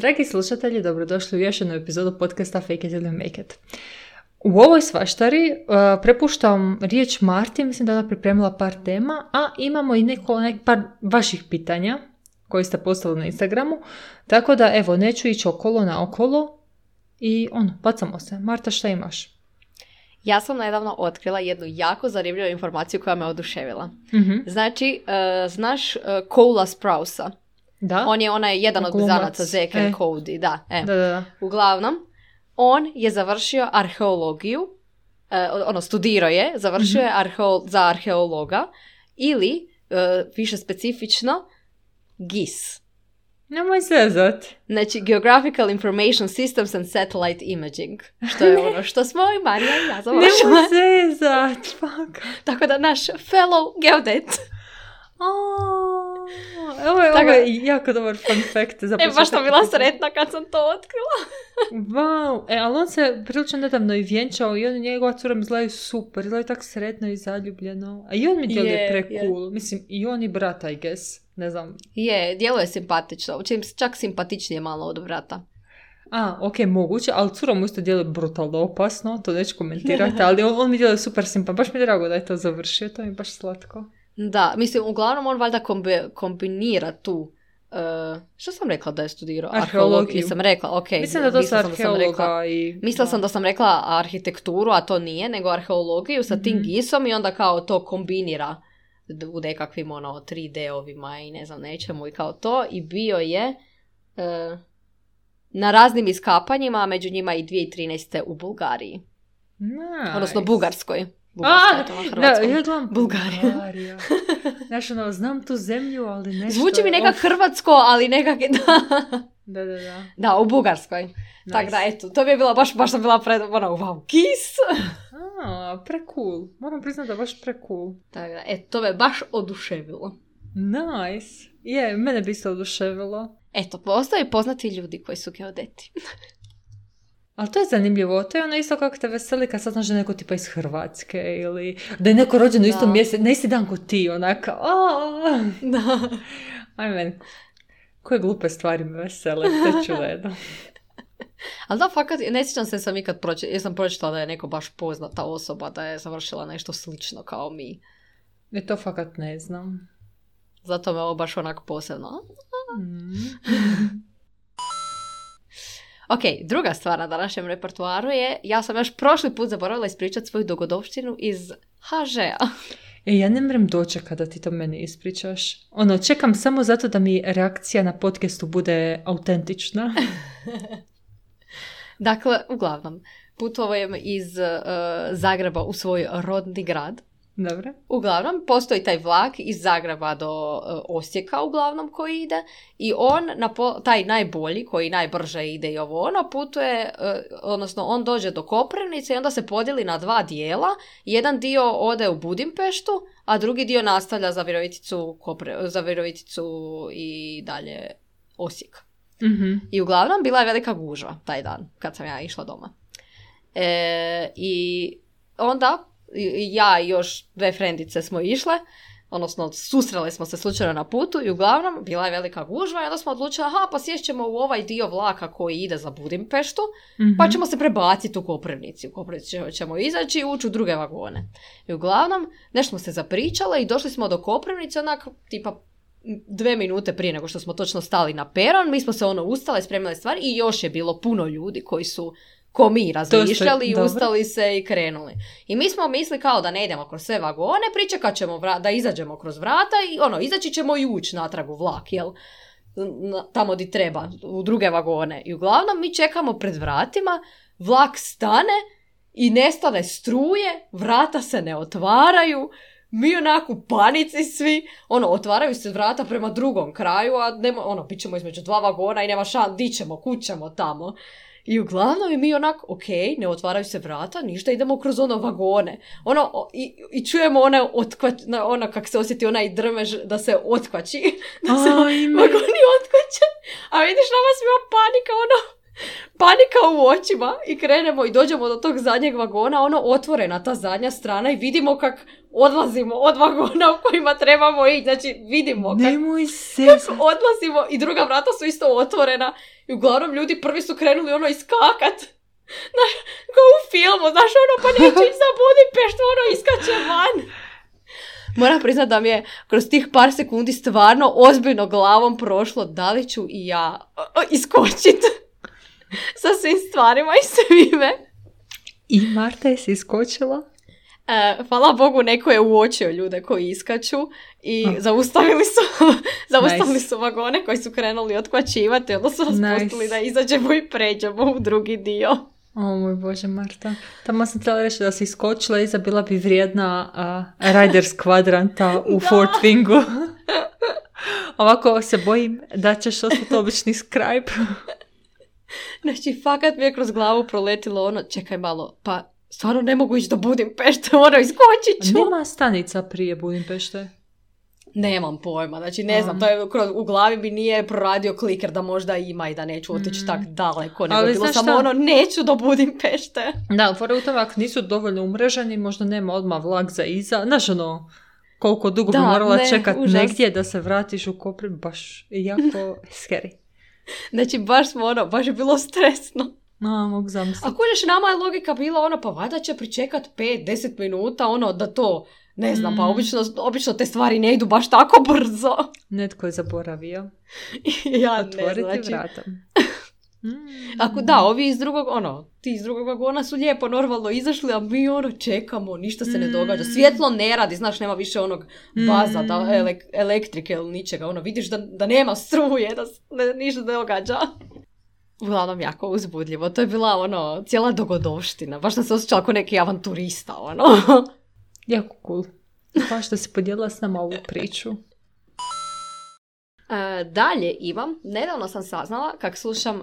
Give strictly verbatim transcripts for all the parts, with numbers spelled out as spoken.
Dragi slušatelji, dobrodošli u još jednu epizodu podcasta Fake it till you make it. U ovoj svaštari uh, prepuštam riječ Marti, mislim da je ona pripremila par tema, a imamo i neko, nek, par vaših pitanja koji ste postavili na Instagramu, tako da evo, neću ići okolo na okolo i ono, bacamo se. Marta, šta imaš? Ja sam nedavno otkrila jednu jako zanimljivu informaciju koja me oduševila. Mm-hmm. Znači, uh, znaš uh, Cola Sprousa? Da. On je onaj jedan od Glumac. blizanaca Zack and E. Cody. Da, e. Da, da, da. Uglavnom, on je završio arheologiju, uh, ono, studirao je, završio mm-hmm. je arheo, za arheologa ili, uh, više specifično, G I S. Nemoj zezat. Znači, Geographical Information Systems and Satellite Imaging. Što je ono što smo i Marija i ja završila. Nemoj zezat. Fuck. Tako da naš fellow geodet. Oh, ovo, je, ovo je jako dobar fun fact. Za e, baš sam bila sretna kad sam to otkrila. Wow, e, ali on se prilično nedavno i vjenčao i on i njegova cura mi izgledaju super, izgledaju tako sretno i zaljubljeno. A i on mi djeluje yeah, pre-cool, yeah. mislim i on i brat, I guess, ne znam. Je, djeluje simpatično, čim čak simpatičnije malo od brata. A, ok, moguće, ali cura mu isto djeluje brutalno opasno, to neću komentirati, ali on, on mi djeluje super simpatično, baš mi je drago da je to završio, to mi je baš slatko. Da, mislim, uglavnom on valjda kombi, kombinira tu, uh, što sam rekla da je studirao? Arheologiju. Nisam rekla, ok. Mislim da to su arheologa rekla, i... Mislila da. sam da sam rekla arhitekturu, a to nije, nego arheologiju sa mm-hmm. tim G I S-om i onda kao to kombinira u nekakvim ono tri D-ovima i ne znam nečemu i kao to. I bio je uh, na raznim iskapanjima, a među njima i dvije tisuće trinaeste u Bulgariji. Nice. Odnosno Bugarskoj. A, da, ja gledam Bulgarija. Bulgarija. Znaš, ono, znam tu zemlju, ali nešto... Zvuči mi nekak of... hrvatsko, ali nekak... Da, da, da. Da, da u Bugarskoj. Nice. Tako da, eto, to mi je bila, baš, baš sam bila pred... Ono, wow, G I S! A, pre-cool. Moram priznati da je baš pre-cool. Tako da, eto, to me baš oduševilo. Nice. Je, mene bi se oduševilo. Eto, postoje poznati ljudi koji su geodeti. Ali to je zanimljivo, to je ono isto kako te veseli kad sad znaš da je neko tipa iz Hrvatske ili da je neko rođen u istom mjesecu, na isti dan ko ti, onaka, aaa. Da. Aj meni, koje glupe stvari me vesele, to je čudno. Ali da, fakat, ne sjećam se sam ikad pročitala, jesam pročitala da je neko baš poznata osoba, da je završila nešto slično kao mi. E to fakat ne znam. Zato me ovo baš onako posebno. Mm. Ok, druga stvar na današnjem repertoaru je, ja sam još prošli put zaboravila ispričati svoju dogodovštinu iz ha žea. E, ja ne mrem dočekati da ti to meni ispričaš. Ono, čekam samo zato da mi reakcija na podcastu bude autentična. Dakle, uglavnom, putujem iz uh, Zagreba u svoj rodni grad. Dobro. Uglavnom, postoji taj vlak iz Zagreba do uh, Osijeka uglavnom koji ide i on, na po- taj najbolji koji najbrže ide i ovo ono, putuje, uh, odnosno on dođe do Koprivnice i onda se podijeli na dva dijela. Jedan dio ode u Budimpeštu, a drugi dio nastavlja za Viroviticu, Kopre- za Viroviticu i dalje Osijek. Mm-hmm. I uglavnom bila je velika gužva taj dan kad sam ja išla doma. E, I onda ja i još dve frendice smo išle, odnosno susrele smo se slučajno na putu i uglavnom bila je velika gužva i onda smo odlučili, aha, pa sješćemo u ovaj dio vlaka koji ide za Budimpeštu, mm-hmm. pa ćemo se prebaciti u Koprivnici. U Koprivnici ćemo izaći i ući u druge vagone. I uglavnom, nešto smo se zapričale i došli smo do Koprivnice onak tipa dve minute prije nego što smo točno stali na peron, mi smo se ono ustale, spremile stvari i još je bilo puno ljudi koji su ko mi razmišljali i ustali se i krenuli. I mi smo mislili kao da ne idemo kroz sve vagone, pričekat ćemo vra- da izađemo kroz vrata i ono, izaći ćemo i ući natrag u vlak, jel? Tamo di treba, u druge vagone. I uglavnom mi čekamo pred vratima, vlak stane i nestane struje, vrata se ne otvaraju, mi onako u panici svi, ono, otvaraju se vrata prema drugom kraju, a nema, ono, bit ćemo između dva vagona i nema šan, di ćemo, kud ćemo tamo. I uglavnom mi onako, ok, ne otvaraju se vrata, ništa, idemo kroz ono vagone. Ono, i, i čujemo ona otkvač, ona kak se osjeti onaj drmež da se otkvači, da se Ajme. vagoni otkvače. A vidiš, nama svima panika, ono, panika u očima i krenemo i dođemo do tog zadnjeg vagona, ono, otvorena ta zadnja strana i vidimo kak odlazimo od vagona u kojima trebamo ići, znači vidimo kak, Nemoj se. kak odlazimo i druga vrata su isto otvorena i I uglavnom ljudi prvi su krenuli ono iskakat. Znaš, kao u filmu, znaš, ono, pa neću ići za Budimpeštu, ono, iskače van. Moram priznat da mi je kroz tih par sekundi stvarno ozbiljno glavom prošlo da li ću i ja iskočit sa svim stvarima i svime. I Marta je se iskočila? E, hvala Bogu, neko je uočio ljude koji iskaču i oh. zaustavili su zaustavili nice. su vagone koji su krenuli otkvačivati, onda su nas nice. pustili da izađemo i pređemo u drugi dio. O moj Bože, Marta. Tamo sam htjela reći da si iskočila i bila bi vrijedna uh, Riders kvadranta u Fort Wingu. Ovako se bojim da ćeš ostati obični scribe. Znači, fakat mi je kroz glavu proletilo ono, čekaj malo, pa stvarno ne mogu ići do Budimpešte, ono, iskočit ću. Nema stanica prije Budimpešte? Nemam pojma, znači ne znam, to je kroz, u glavi mi nije proradio kliker da možda ima i da neću otići mm. tak daleko, nego je bilo samo šta? ono, neću do Budimpešte. Da, fora u tome, ako nisu dovoljno umreženi, možda nema odmah vlak za iza, znaš ono, koliko dugo da, bi morala ne, čekat užas. negdje da se vratiš u Koprivnicu, baš jako scary. Znači, baš smo ono, baš je bilo stresno. A, mogu zamisliti. A kužeš, nama je logika bila ono, pa valjda će pričekat pet do deset minuta, ono, da to, ne znam, mm. pa obično, obično te stvari ne idu baš tako brzo. Netko je zaboravio. Ja Otvoriti ne znači. vrata. Mm. Ako da, ovi iz drugog, ono, ti iz drugog vagona su lijepo normalno izašli, a mi ono čekamo, ništa se ne događa. Svjetlo ne radi, znaš, nema više onog baza, da, elek, elektrike ili ničega, ono, vidiš da, da nema struje, da ne, ništa ne događa. Uglavnom jako uzbudljivo, to je bila, ono, cijela dogodovština, baš sam se osjećala kao neki avanturista, ono. Jako cool. Baš da si podijelila s nama ovu priču. Uh, dalje imam, nedavno sam saznala kak slušam uh,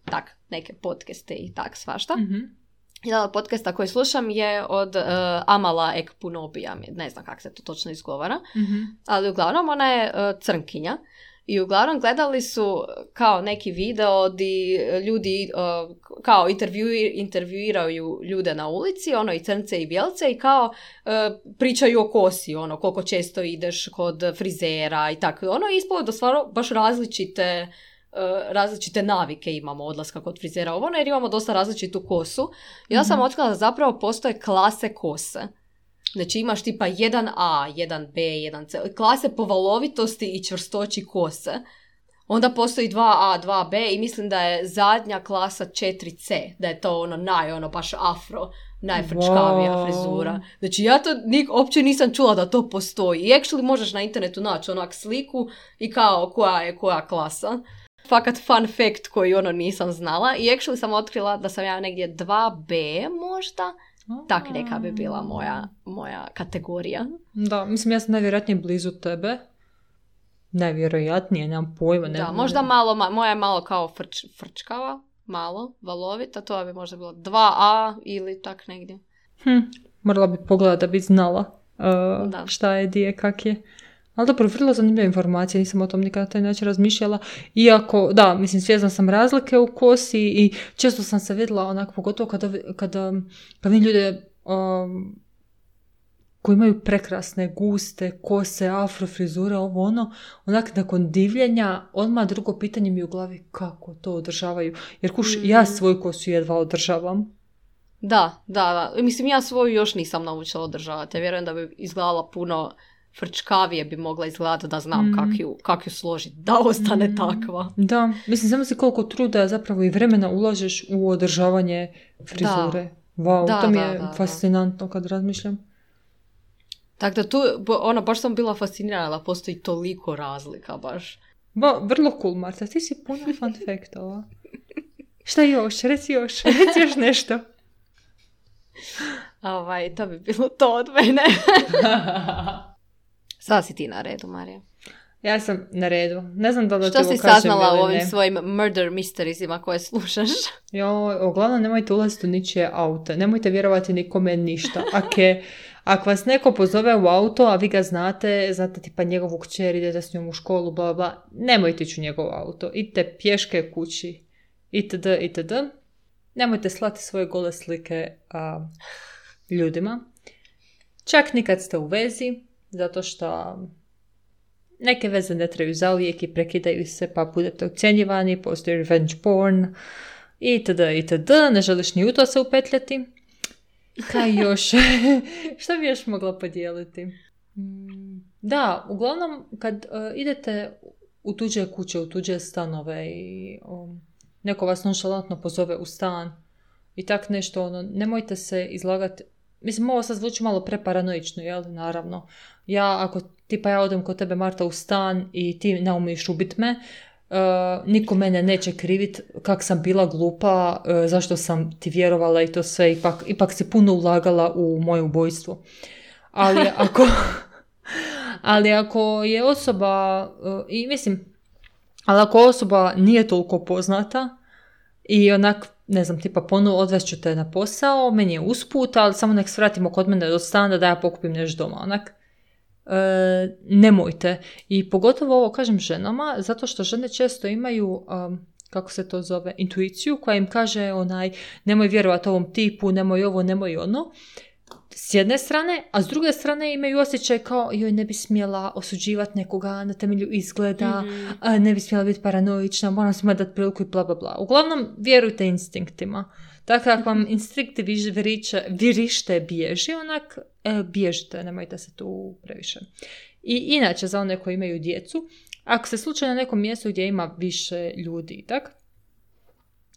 tak, neke podcaste i tak svašta. Mm-hmm. Jedan od podcasta koji slušam je od uh, Amala Ekpunobija, ne znam kako se to točno izgovara, mm-hmm. ali uglavnom ona je uh, crnkinja i uglavnom gledali su kao neki video di ljudi uh, kao intervju, intervjuiraju ljude na ulici, ono i crnce i bijelce i kao uh, pričaju o kosi, ono koliko često ideš kod frizera i tako. Ono je ispalo da stvarno baš različite Uh, različite navike imamo odlaska kod frizera ovo, jer imamo dosta različitu kosu. I ja sam mm-hmm. otkrila da zapravo postoje klase kose. Znači imaš tipa jedan A, jedan B, jedan C, klase po valovitosti i čvrstoći kose. Onda postoji dva A, dva B i mislim da je zadnja klasa četiri C, da je to ono naj, ono baš afro, najfrčkavija wow. frizura. Znači ja to nik, uopće nisam čula da to postoji. I actually možeš na internetu naći onak sliku i kao koja je koja klasa. Fakat fun fact koji ono nisam znala. I actually sam otkrila da sam ja negdje dva B možda. Tak neka bi bila moja, moja kategorija. Da, mislim ja sam najvjerojatnije blizu tebe. Najvjerojatnije, nemam pojma. Da, nemam, možda malo, ma, moja je malo kao frč, frčkava, malo, valovita, to bi možda bilo dva A ili tak negdje. Hm, morala bi pogledati da bi znala uh, šta je, di je, kak je. Ali dobro, vrlo zanimljiva informacija, nisam o tom nikada na taj način razmišljala. Iako, da, mislim, svjesna sam razlike u kosi i često sam se vidjela onako, pogotovo kada, kada, kada vidim ljude um, koji imaju prekrasne, guste kose, afro frizure, ovo ono, onak nakon divljenja, odmah drugo pitanje mi u glavi kako to održavaju. Jer kuš, mm. ja svoju kosu jedva održavam. Da, da, da. Mislim, ja svoju još nisam naučila održavati. Ja vjerujem da bi izgledala puno frčkavije bi mogla izgledati da znam mm. kak ju, kak ju složiti, da ostane mm. takva. Da, mislim, samo si koliko truda zapravo i vremena ulažeš u održavanje frizure. Da. Wow, da, to mi je da, da, fascinantno kad razmišljam. Tako da tu, ono, baš sam bila fascinirana da postoji toliko razlika, baš. Ba, vrlo cool, Marta, ti si puno fun fact-ova. Šta još? Reci još, reci još nešto. Ovaj, to bi bilo to od mene. Sada si ti na redu, Marija. Ja sam na redu. Ne znam da da ti ovo kažem. Što si saznala u ovim ne. svojim murder mysteriesima koje slušaš? Jo, uglavnom nemojte ulaziti u ničije auto. Nemojte vjerovati nikome ništa. Ake, ako vas neko pozove u auto, a vi ga znate, znate tipa njegovu kćer, idete s njom u školu, bla bla, nemojte ići u njegov auto. Idite pješke kući. Itd. Itd. Nemojte slati svoje gole slike a, ljudima. Čak nikad ste u vezi, zato što neke veze ne traju zauvijek i prekidaju se pa budete ocjenjivani, postoji revenge porn itd. itd. Ne želiš ni u to se upetljati. Kaj još? Što bi još mogla podijeliti? Da, uglavnom kad uh, idete u tuđe kuće, u tuđe stanove i um, neko vas nonšalantno pozove u stan i tak nešto, ono, nemojte se izlagati. Mislim, ovo sad zvuči malo preparanoično, jel? Naravno. Ja, ako tipa ja odem kod tebe, Marta, u stan i ti ne umiješ ubit me, uh, niko mene neće krivit kak sam bila glupa, uh, zašto sam ti vjerovala i to sve, ipak, ipak si puno ulagala u moje ubojstvo. Ali ako... ali ako je osoba, uh, i mislim, ali ako osoba nije toliko poznata i onak, ne znam, tipa ponovno odvest te na posao, meni je usput, ali samo nek svratimo kod mene do stana da ja pokupim nešto doma, onak. E, nemojte. I pogotovo ovo kažem ženama, zato što žene često imaju, um, kako se to zove, intuiciju koja im kaže onaj, nemoj vjerovati ovom tipu, nemoj ovo, nemoj ono. S jedne strane, a s druge strane imaju osjećaj kao joj ne bi smjela osuđivati nekoga na temelju izgleda, mm-hmm. a, ne bi smjela biti paranoična, moram svima dati priliku i bla bla bla. Uglavnom, vjerujte instinktima. Tako ako vam instinkti viriče, virište bježi, onak e, bježite, nemojte se tu previše. I inače, za one koji imaju djecu, ako se slučajno na nekom mjestu gdje ima više ljudi, tak?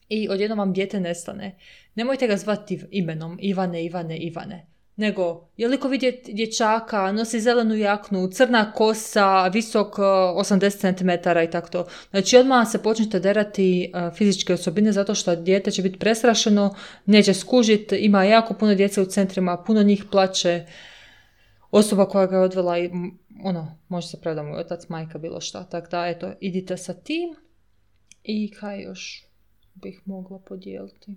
I odjednom vam dijete nestane, nemojte ga zvati imenom Ivane, Ivane, Ivane. Nego, je li ko vidjeti dječaka, nosi zelenu jaknu, crna kosa, visok osamdeset centimetara i tako to. Znači, odmah se počnete derati uh, fizičke osobine zato što dijete će biti prestrašeno, neće skužiti, ima jako puno djece u centrima, puno njih plaće. Osoba koja ga je odvela, i, ono, može se pravda moj otac, majka, bilo šta. Tako da, eto, idite sa tim. I kaj još bih mogla podijeliti?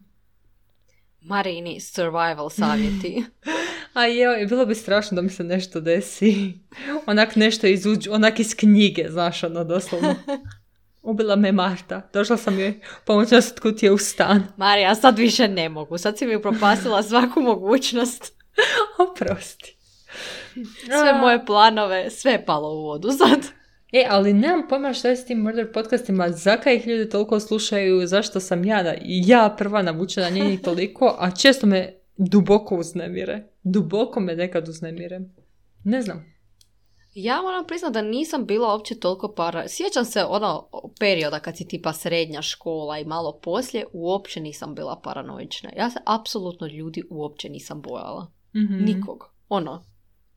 Marini survival savjeti. A joj, bilo bi strašno da mi se nešto desi. Onak nešto iz, uđ, onak iz knjige, znaš, ono, doslovno. Ubila me Marta. Došla sam joj pomoći nas kud je u stan. Marija, sad više ne mogu. Sad si mi propasila svaku mogućnost. Oprosti. Sve moje planove, sve je palo u vodu sad. E, ali nemam pojma što je s tim murder podcastima, zakaj ih ljudi toliko slušaju, zašto sam ja, ja prva navučena, nije njih toliko, a često me duboko uznemire. Duboko me nekad uznemire. Ne znam. Ja moram priznati da nisam bila uopće toliko para... Sjećam se ono perioda kad si tipa srednja škola i malo poslije, uopće nisam bila paranoična. Ja se apsolutno ljudi uopće nisam bojala. Mm-hmm. Nikog. Ono,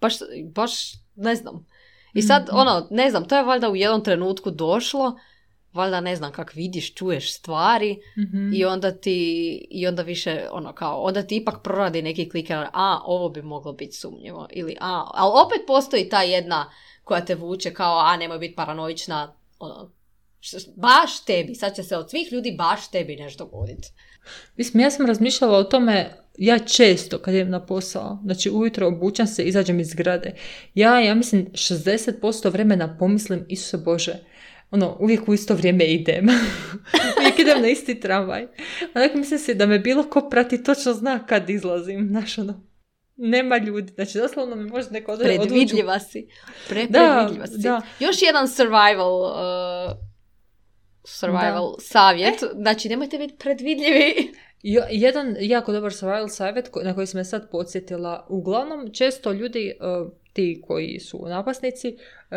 baš, baš ne znam. I sad, ono, ne znam, to je valjda u jednom trenutku došlo, valjda ne znam kak vidiš, čuješ stvari mm-hmm. i onda ti, i onda više, ono, kao, onda ti ipak proradi neki kliker, a, ovo bi moglo biti sumnjivo, ili a, ali opet postoji ta jedna koja te vuče kao, a, nemoj biti paranoična, ono, baš tebi, sad će se od svih ljudi baš tebi nešto dogoditi. Mislim, ja sam razmišljala o tome, ja često kad idem na posao, znači ujutro obučam se, izađem iz zgrade, ja, ja mislim, šezdeset posto vremena pomislim, Isuse Bože, ono, uvijek u isto vrijeme idem. Uvijek idem na isti tramvaj. Onak mislim se da me bilo ko prati, točno zna kad izlazim, znaš, ono, nema ljudi, znači doslovno mi može neko odlučiti. Predvidljiva odluču. si. Pre, predvidljiva si. Da. Još jedan survival... Uh... survival da. savjet, e? Znači nemojte biti predvidljivi. Jo, jedan jako dobar survival savjet na koji sam me sad podsjetila, uglavnom često ljudi, uh, ti koji su napasnici, uh,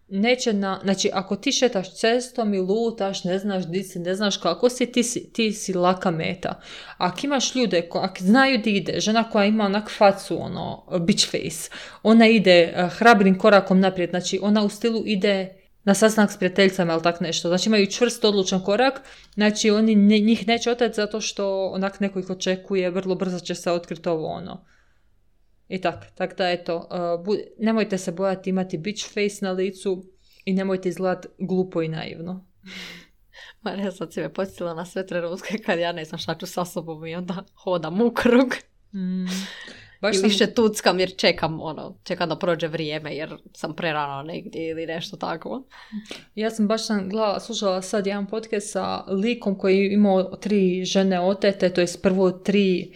neće na, znači ako ti šetaš cestom i lutaš, ne znaš di si, ne znaš kako si, ti si, ti si laka meta. Ako imaš ljude, ko, ako znaju di ide, žena koja ima onak facu, ono, bitch face, ona ide uh, hrabrim korakom naprijed, znači ona u stilu ide na sastanak s prijateljicama ili tak nešto. Znači imaju čvrst odlučan korak, znači oni ne, njih neće oteti zato što onak neko ih očekuje, vrlo brzo će se otkriti ovo ono. I tak, tak da eto, uh, bu, nemojte se bojati imati bitch face na licu i nemojte izgledati glupo i naivno. Marija, sad si me podsjetila na sve trenutke kad ja ne znam šta ću sa sobom i onda hodam u krug. Mm. Baš I sam... više tuckam jer čekam, ono, čekam da prođe vrijeme jer sam prerano negdje ili nešto tako. Ja sam baš sam gledala, slušala sad jedan podcast sa likom koji je imao tri žene otete, to je prvo tri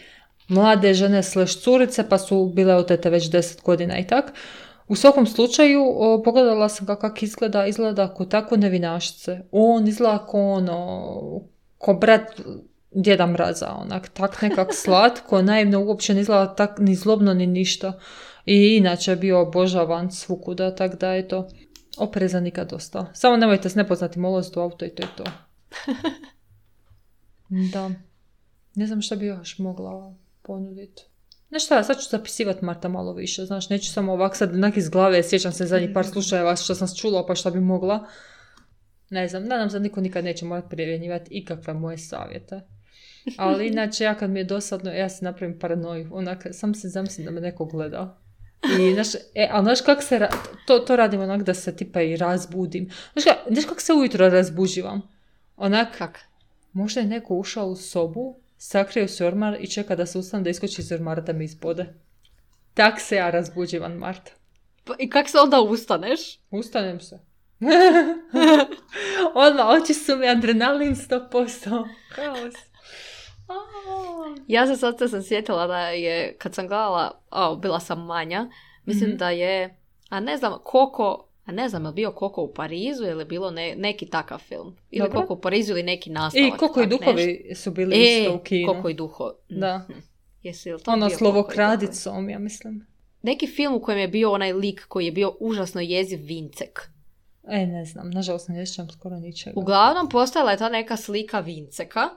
mlade žene slash curice, pa su bile otete već deset godina i tak. U svakom slučaju, o, pogledala sam kako kak izgleda, izgleda ko tako nevinašce. On izgleda ko ono, ko brat Djeda Mraza, onak, tak nekak slatko, naivno, uopće ne izgleda tak ni zlobno ni ništa. I inače je bio obožavan svukuda, tak da je to opreza nikad dosta. Samo nemojte s nepoznatim ulaziti u auto i to je to. Da. Ne znam šta bi još mogla ponuditi. Znaš šta, sad ću zapisivati Marta malo više, znaš, neću samo ovak sad onak iz glave, sjećam se zadnjih par slučajeva što sam čula pa šta bi mogla. Ne znam, nadam se da niko nikad neće morati primjenjivati ikakve moje savjete. Ali inače, ja kad mi je dosadno, ja se napravim paranoju, onak, sam se zamislim da me neko gleda. I, znaš, e, ali znaš kak se, ra- to, to radim onak da se tipa i razbudim. Znaš, ka, znaš kak se ujutro razbuđivam? Onak, kak? Možda je neko ušao u sobu, sakrio se ormar i čeka da se ustane da iskoči iz ormara da me izbode. Tak se ja razbuđivam, Marta. Pa, i kak se onda ustaneš? Ustanem se. Odmah, oči su mi adrenalin sto posto. Kaos. Ja se sad sam sjetila da je, kad sam gledala, o, bila sam manja, mislim mm-hmm. da je, a ne znam, Koko, a ne znam, je li bio Koko u Parizu ili je bilo ne, neki takav film. Ili Dobro. Koko u Parizu ili neki nastavak. I Koko i duhovi nešto. Su bili e, isto u kinu. Koko i duho. Da. Mm-hmm. Jesi li to ono bio Slovokradicom, ja mislim. Neki film u kojem je bio onaj lik koji je bio užasno jeziv, Vincek. E, ne znam, nažalost ne sjećam skoro ničega. Uglavnom, postojala je ta neka slika Vinceka,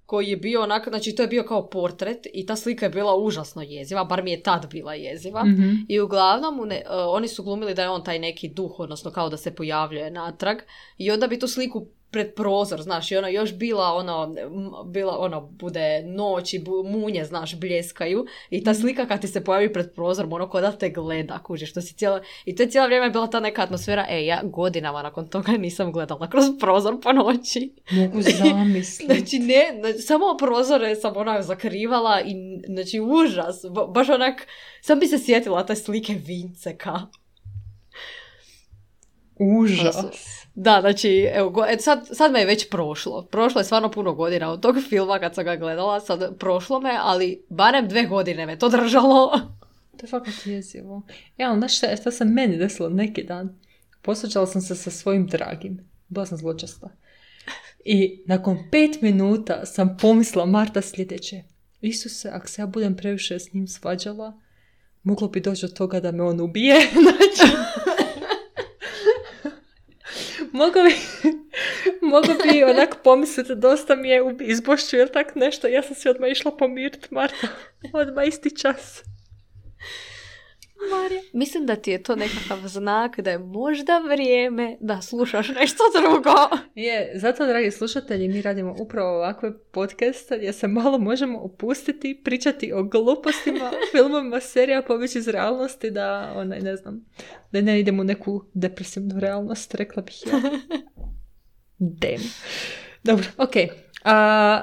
koji je bio onako, znači to je bio kao portret i ta slika je bila užasno jeziva, bar mi je tad bila jeziva. Mm-hmm. I uglavnom ne, uh, oni su glumili da je on taj neki duh, odnosno kao da se pojavljuje natrag i onda bi tu sliku pred prozor, znaš, i ona još bila ono, bila ono, bude noć i bu, munje, znaš, bljeskaju i ta slika kad ti se pojavi pred prozorom, ono ko da te gleda, kužiš, to si cijela, i to je cijelo vrijeme bila ta neka atmosfera, e, ja godinama nakon toga nisam gledala kroz prozor po noći. Mogu zamisliti. Znači, ne, znači, samo prozore sam onak zakrivala i, znači, užas, ba, baš onak, sam bi se sjetila te slike Vinceka. Užas. Da, znači, evo, go, et sad, sad me je već prošlo. Prošlo je stvarno puno godina od tog filma kad sam ga gledala, sad prošlo me, ali barem dve godine me to držalo. To je fakat jezivo. Ja, ali znaš šta, šta sam meni desilo neki dan? Posvađala sam se sa svojim dragim. Bila sam zločasta. I nakon pet minuta sam pomislila Marta sljedeće. Isuse, ako se ja budem previše s njim svađala, moglo bi doći do toga da me on ubije. Znači... Mogu bi, mogu bi onak pomisliti, dosta mi je izbošću ili tak nešto. Ja sam se odmah išla pomiriti, Marta. Odmah isti čas. Marija, mislim da ti je to nekakav znak da je možda vrijeme da slušaš nešto drugo. Je, zato, dragi slušatelji, mi radimo upravo ovakve podcaste gdje se malo možemo opustiti, pričati o glupostima, filmovima, serija, pobjeći iz realnosti, da, onaj, ne znam, da ne idemo u neku depresivnu realnost, rekla bih ja. Damn. Dobro, okej. Okay. A,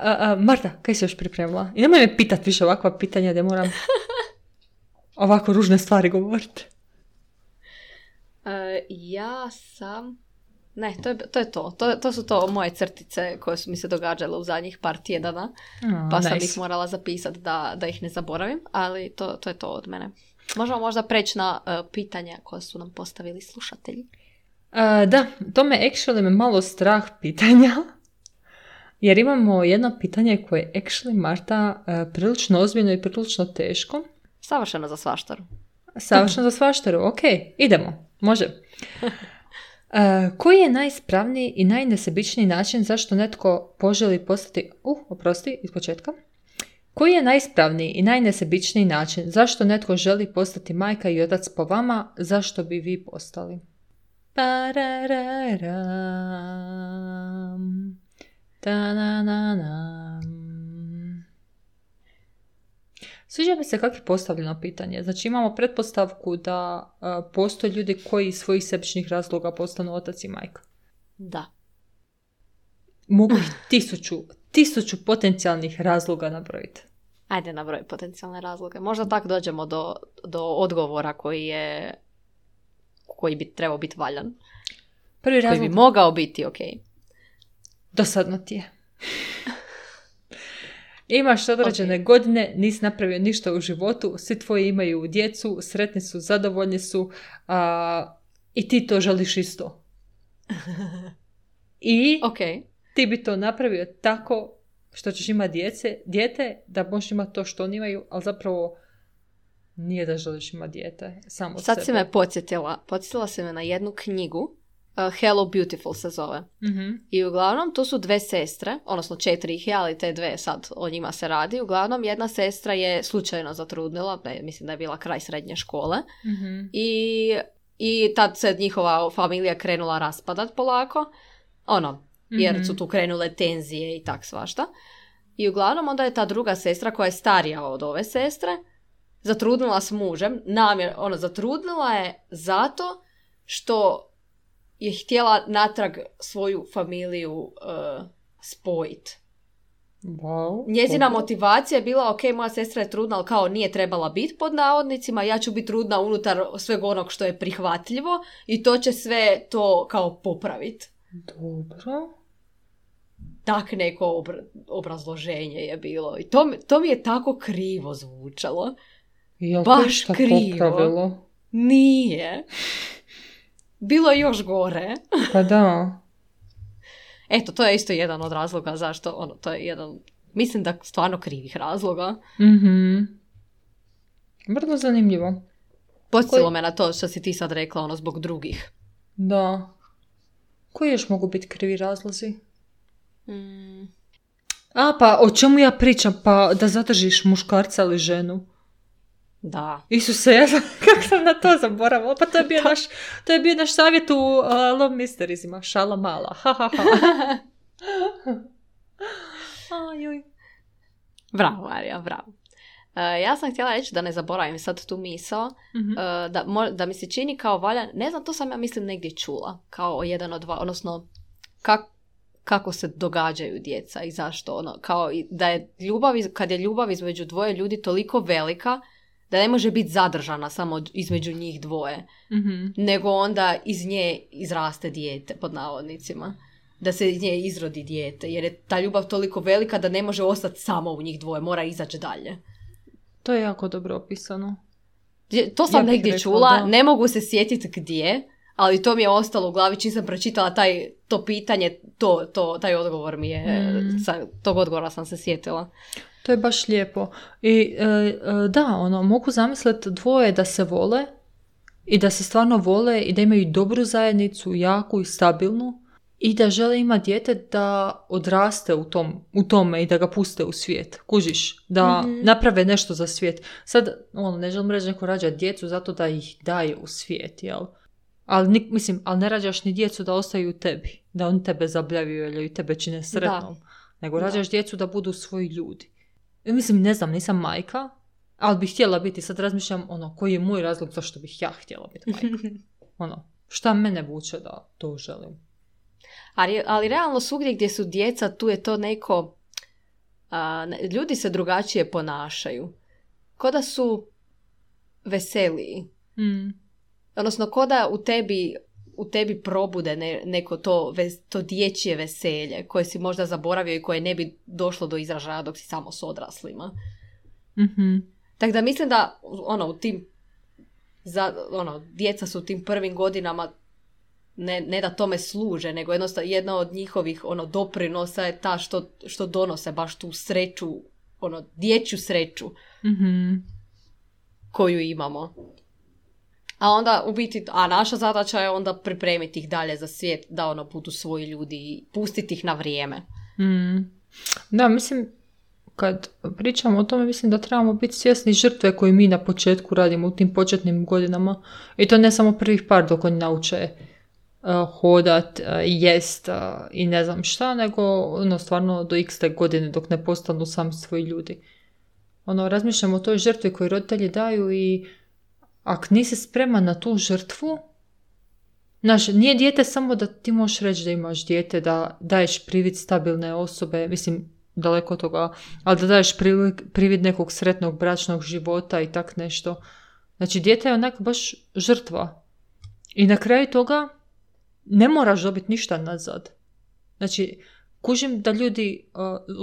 a, a, Marta, kaj si još pripremila? I nemoj me pitati više ovakva pitanja gdje moram ovako ružne stvari govoriti. Uh, ja sam... Ne, to je to. Je to. To, to su to moje crtice koje su mi se događale u zadnjih par tjedana. Oh, pa sam nice. ih morala zapisati da, da ih ne zaboravim, ali to, to je to od mene. Možemo možda preći na uh, pitanja koje su nam postavili slušatelji. Uh, da, to me actually me malo strah pitanja. Jer imamo jedno pitanje koje je actually, Marta, uh, prilično ozbiljno i prilično teško. Savršeno za svaštaru. Savršeno za svaštaru, ok, idemo, može. Uh, koji je najispravniji i najnesebičniji način zašto netko poželi postati... Uh, oprosti, iz početka. Koji je najispravniji i najnesebičniji način zašto netko želi postati majka i otac po vama, zašto bi vi postali? Parararam. Ta-na-na-nam. Sviđa mi se kako je postavljeno pitanje. Znači imamo pretpostavku da uh, postoje ljudi koji iz svojih sebičnih razloga postanu otac i majka. Da. Mogu ih tisuću, tisuću potencijalnih razloga nabrojiti. Ajde nabroj potencijalne razloge. Možda tak dođemo do, do odgovora koji je koji bi trebao biti valjan. Prvi razlog... Koji bi mogao biti ok. Dosadno ti je. Imaš određene okay. godine, nisi napravio ništa u životu, svi tvoji imaju djecu, sretni su, zadovoljni su a, i ti to želiš isto. I okay. ti bi to napravio tako što ćeš imati djece, dijete, da možeš imati to što oni imaju, ali zapravo nije da želiš imati dijete, samo Sad sebe. si me podsjetila. Podsjetila si me na jednu knjigu, uh, Hello Beautiful se zove. Mm-hmm. I uglavnom to su dve sestre, odnosno četiri ih je, ali te dve sad o njima se radi. Uglavnom jedna sestra je slučajno zatrudnila, ne, mislim da je bila kraj srednje škole. Mm-hmm. I, i tad se njihova familija krenula raspadat polako. Ono, jer su tu krenule tenzije i tak svašta. I uglavnom onda je ta druga sestra koja je starija od ove sestre zatrudnila s mužem, namjer, ono, zatrudnila je zato što je htjela natrag svoju familiju uh, spojiti. Wow. Njezina motivacija je bila, ok, moja sestra je trudna, ali kao nije trebala biti pod navodnicima, ja ću biti trudna unutar sveg onog što je prihvatljivo i to će sve to kao popraviti. Dobro. Tak neko obra- obrazloženje je bilo. I to, to mi je tako krivo zvučalo. Jel baš to krivo. Popravilo? Nije. Bilo je još gore. Pa da. Eto, to je isto jedan od razloga zašto, ono, to je jedan, mislim da stvarno krivih razloga. Mhm. Vrlo zanimljivo. Podsjetilo Koji... me na to što si ti sad rekla, ono, zbog drugih. Da. Koji još mogu biti krivi razlozi? Mm. A, pa o čemu ja pričam? Pa da zadržiš muškarca ili ženu. Da. Isuse, ja sam, kako sam na to zaboravila. Pa to je bio, naš, to je bio naš savjet u uh, Love Mysteriesima. Šala mala. Ha, ha, ha. Ajoj. Bravo, Marija, bravo. Uh, ja sam htjela reći da ne zaboravim sad tu misao, mm-hmm. uh, da, mo- da mi se čini kao valja, ne znam, to sam ja mislim negdje čula, kao jedan od dva, odnosno kak, kako se događaju djeca i zašto, ono, kao da je ljubav, iz, kad je ljubav između dvoje ljudi toliko velika, da ne može biti zadržana samo između njih dvoje, mm-hmm. nego onda iz nje izraste dijete, pod navodnicima. Da se iz nje izrodi dijete, jer je ta ljubav toliko velika da ne može ostati samo u njih dvoje, mora izaći dalje. To je jako dobro opisano. To sam ja negdje rekla, čula, da. Ne mogu se sjetiti gdje, ali to mi je ostalo u glavi, čim sam pročitala taj, to pitanje, to, to, taj odgovor mi je, mm. sa, tog odgovora sam se sjetila. To je baš lijepo. I e, e, da, ono, mogu zamisliti dvoje da se vole i da se stvarno vole i da imaju dobru zajednicu, jaku i stabilnu i da žele imati dijete da odraste u, tom, u tome i da ga puste u svijet. Kužiš? Da mm-hmm. naprave nešto za svijet. Sad, ono, ne želim reći neko rađa djecu zato da ih daje u svijet, jel? Ali, mislim, ali ne rađaš ni djecu da ostaju u tebi. Da oni tebe zabljavaju ili tebe čine sretnom. Da. Nego rađaš da. djecu da budu svoji ljudi. Mislim, ne znam, nisam majka, ali bih htjela biti. Sad razmišljam, ono, koji je moj razlog zašto bih ja htjela biti majka. Ono, šta mene vuče da to želim. Ali, ali realno svugdje gdje su djeca, tu je to neko... A, ljudi se drugačije ponašaju. Ko da su veseliji. Mm. Odnosno, ko da u tebi, u tebi probude ne, neko to, to dječje veselje koje si možda zaboravio i koje ne bi došlo do izražaja dok si samo s odraslima. Mm-hmm. Tako da mislim da ono, u tim, za, ono, djeca su u tim prvim godinama ne, ne da tome služe, nego jednostavno jedna od njihovih ono, doprinosa je ta što, što donose baš tu sreću, ono, dječju sreću mm-hmm. koju imamo. A onda u biti, a naša zadaća je onda pripremiti ih dalje za svijet, da ono budu svoji ljudi i pustiti ih na vrijeme. Mm. Da, mislim, kad pričamo o tome, mislim da trebamo biti svjesni žrtve koju mi na početku radimo u tim početnim godinama. I to ne samo prvih par dok oni nauče uh, hodat, uh, jest uh, i ne znam šta, nego ono, stvarno do x te godine dok ne postanu sami svoji ljudi. Ono, razmišljamo o toj žrtvi koju roditelji daju i ako nisi spreman na tu žrtvu, znaš, nije dijete samo da ti možeš reći da imaš dijete, da daješ privid stabilne osobe, mislim, daleko od toga, ali da daješ privid, privid nekog sretnog bračnog života i tak nešto. Znači, dijete je onak baš žrtva. I na kraju toga ne moraš dobiti ništa nazad. Znači, kužim da ljudi uh,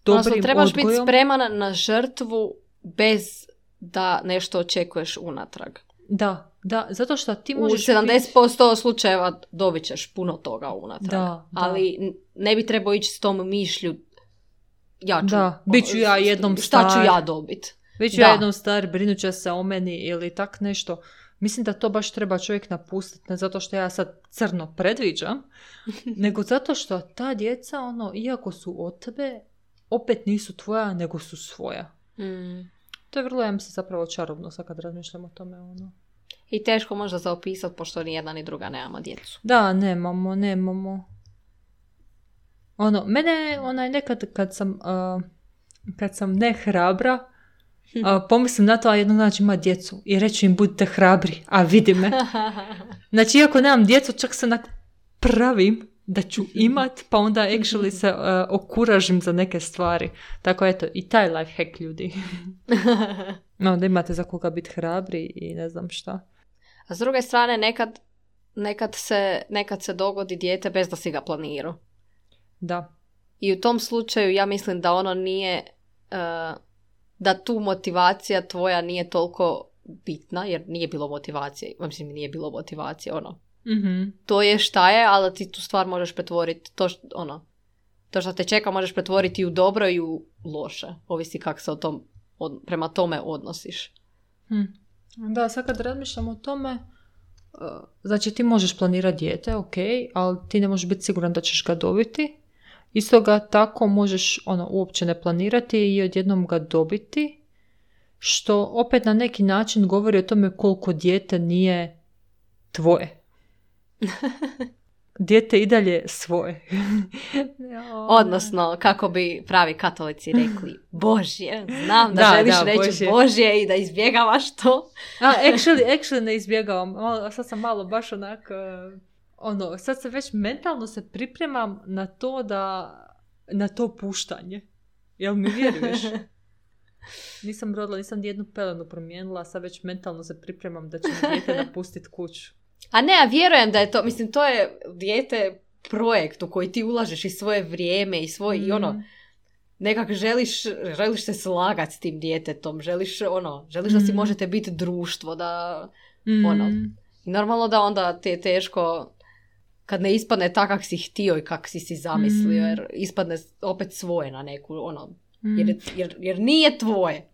dobrim Odnosno, trebaš odgojom. biti spreman na žrtvu bez da nešto očekuješ unatrag. Da, da, zato što ti U možeš sedamdeset posto slučajeva dobit ćeš puno toga unatrag. Da, da. Ali ne bi trebao ići s tom mišlju ja ću, da, bit ću ja jednom šta star. ću ja dobit. Bit ću Da. ja jednom star, brinut će se o meni ili tak nešto. Mislim da to baš treba čovjek napustiti, ne zato što ja sad crno predviđam, nego zato što ta djeca, ono, iako su od tebe, opet nisu tvoja, nego su svoja. Mm. To je vrlo, ja mislim, zapravo čarobno sad kad razmišljam o tome. Ono. I teško možda za opisati, pošto ni jedna ni druga nemamo djecu. Da, nemamo, nemamo. Ono, mene, onaj, nekad kad sam, uh, kad sam ne hrabra, uh, pomislim na to, a jednog dana ću imati djecu i reći im budite hrabri, a vidi me. Znači, iako nemam djecu, čak se onak pravim da ću imat, pa onda actually se uh, okuražim za neke stvari. Tako eto, i taj life hack, ljudi. No, da imate za koga biti hrabri i ne znam šta. A s druge strane, nekad, nekad, se, nekad se dogodi dijete bez da si ga planirao. Da. I u tom slučaju ja mislim da ono nije, uh, da tu motivacija tvoja nije toliko bitna, jer nije bilo motivacije, mislim nije bilo motivacije, ono. Mm-hmm. To je šta je, ali ti tu stvar možeš pretvoriti, to, što, ono, to što te čeka možeš pretvoriti u dobro i u loše. Ovisi kako se o tom, od, prema tome odnosiš. Hm. Da, sad kad razmišljam o tome, uh, znači ti možeš planirati dijete, ok, ali ti ne možeš biti siguran da ćeš ga dobiti. Isto ga tako možeš ono, uopće ne planirati i odjednom ga dobiti, što opet na neki način govori o tome koliko dijete nije tvoje. Dijete i dalje svoje. Odnosno, kako bi pravi katolici rekli, Božje, znam da, Da, želiš da, reći Božje. Božje i da izbjegavaš to. A, actually, actually ne izbjegavam. Malo, sad sam malo baš onak, uh, ono, sad se već mentalno se pripremam na to da, na to puštanje. Jel mi vjeruješ? Nisam rodila, nisam nijednu pelenu promijenila, sad već mentalno se pripremam da će mi dijete napustiti kuću. A ne, ja vjerujem da je to, mislim, to je dijete projekt u koji ti ulažeš i svoje vrijeme i svoj, mm. i ono, nekak želiš, želiš se slagati s tim djetetom, želiš, ono, želiš mm. da si možete biti društvo, da, mm. ono, i normalno da onda ti je teško kad ne ispadne tak kak si htio i kak si si zamislio, mm. jer ispadne opet svoje na neku, ono, mm. jer, jer, jer nije tvoje.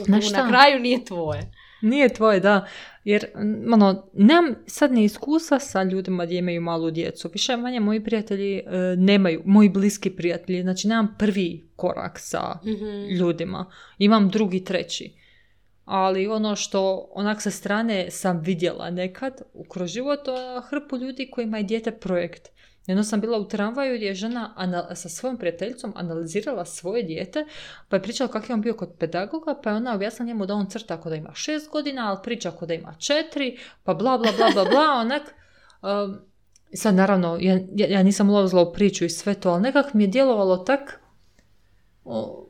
Na, na kraju nije tvoje. Nije tvoje, da. Jer, ono, nemam sad ne iskustva sa ljudima gdje imaju malu djecu. Više manje moji prijatelji e, nemaju, moji bliski prijatelji. Znači, nemam prvi korak sa mm-hmm. ljudima. Imam drugi, treći. Ali ono što onak sa strane sam vidjela nekad kroz život, hrpu ljudi kojima je dijete projekt. Jedno sam bila u tramvaju gdje je žena anal- sa svojom prijateljicom analizirala svoje dijete, pa je pričala kako je on bio kod pedagoga, pa je ona objasnila njemu da on crta ako da ima šest godina, ali priča ako da ima četiri, pa bla bla bla bla bla, onak. Um, sad naravno, ja, ja nisam ulazila u priču i sve to, ali nekak mi je djelovalo tak, o,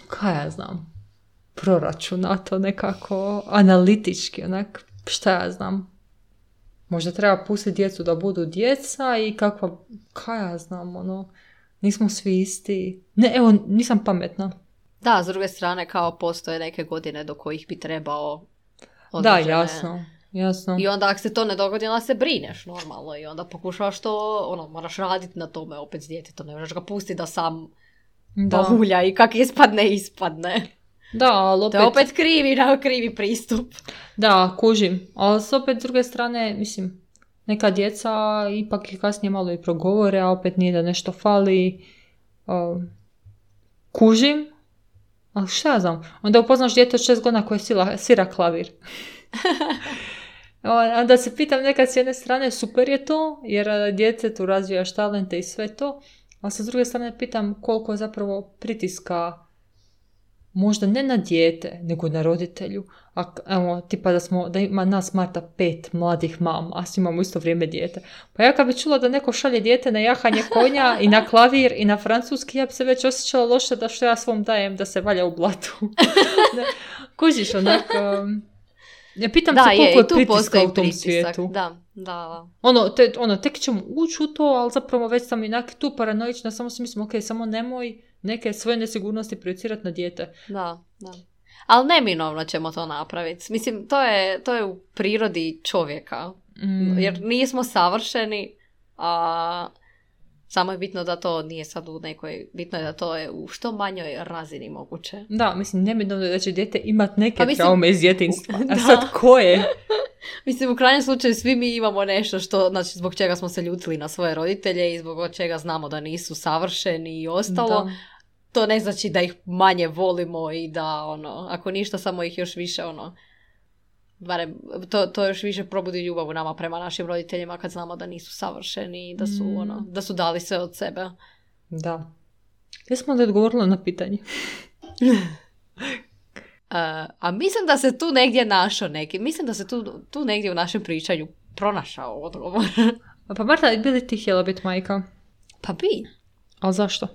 kaj ja znam, proračunato nekako, analitički, onak, šta ja znam. Možda treba pustiti djecu da budu djeca i kakva, kaj ja znam, ono, nismo svi isti. Ne, evo, nisam pametna. Da, s druge strane, kao postoje neke godine do kojih bi trebao određene... Da, jasno, jasno. I onda ako se to ne dogodi, onda se brineš normalno i onda pokušavaš to, ono, moraš raditi na tome opet s djetetom, ne možeš ga pustiti da sam bahulja i kak ispadne, ispadne. Da, ali opet... To je opet krivi, na krivi pristup. Da, kužim. Ali s opet s druge strane, mislim, neka djeca ipak i kasnije malo i progovore, a opet nije da nešto fali. Uh, kužim. Ali šta ja znam? Onda upoznaš dijete od šest godina koje sila, svira klavir. Onda se pitam nekad s jedne strane, super je to, jer djece tu razvijaš talente i sve to. A sa druge strane pitam koliko je zapravo pritiska možda ne na dijete, nego na roditelju. A, evo, tipa da smo, da ima nas Marta pet mladih mama, a svi imamo isto vrijeme dijete. Pa ja kad bi čula da neko šalje dijete na jahanje konja i na klavir i na francuski, ja bi se već osjećala loše da što ja svom dajem da se valja u blatu. Kužiš, onak... Um, ja pitam da, se koliko je, je pritiska u tom pritisak. svijetu. Da, da, da. Ono, te, ono, tek ćemo ući u to, ali zapravo već sam inak tu paranoična, samo si mislim, ok, samo nemoj neke svoje nesigurnosti projecirati na dijete. Da, da. Ali neminovno ćemo to napraviti. Mislim, to je, to je u prirodi čovjeka. Mm. Jer nismo savršeni, a samo je bitno da to nije sad u nekoj, bitno je da to je u što manjoj razini moguće. Da, mislim, neminovno je da će dijete imati neke mislim, traume iz djetinjstva. A sad ko je? Mislim, u krajnjem slučaju svi mi imamo nešto što, znači, zbog čega smo se ljutili na svoje roditelje i zbog čega znamo da nisu savršeni i ostalo. Da. To ne znači da ih manje volimo i da, ono, ako ništa, samo ih još više, ono, barem, to, to još više probudi ljubav u nama prema našim roditeljima kad znamo da nisu savršeni i da su, mm. ono, da su dali sve od sebe. Da. Jesmo li odgovorili na pitanje? Uh, a mislim da se tu negdje našao neki, mislim da se tu, tu negdje u našem pričanju pronašao odgovor. Pa Marta, bi li ti htjela biti majka? Pa bi. Ali zašto?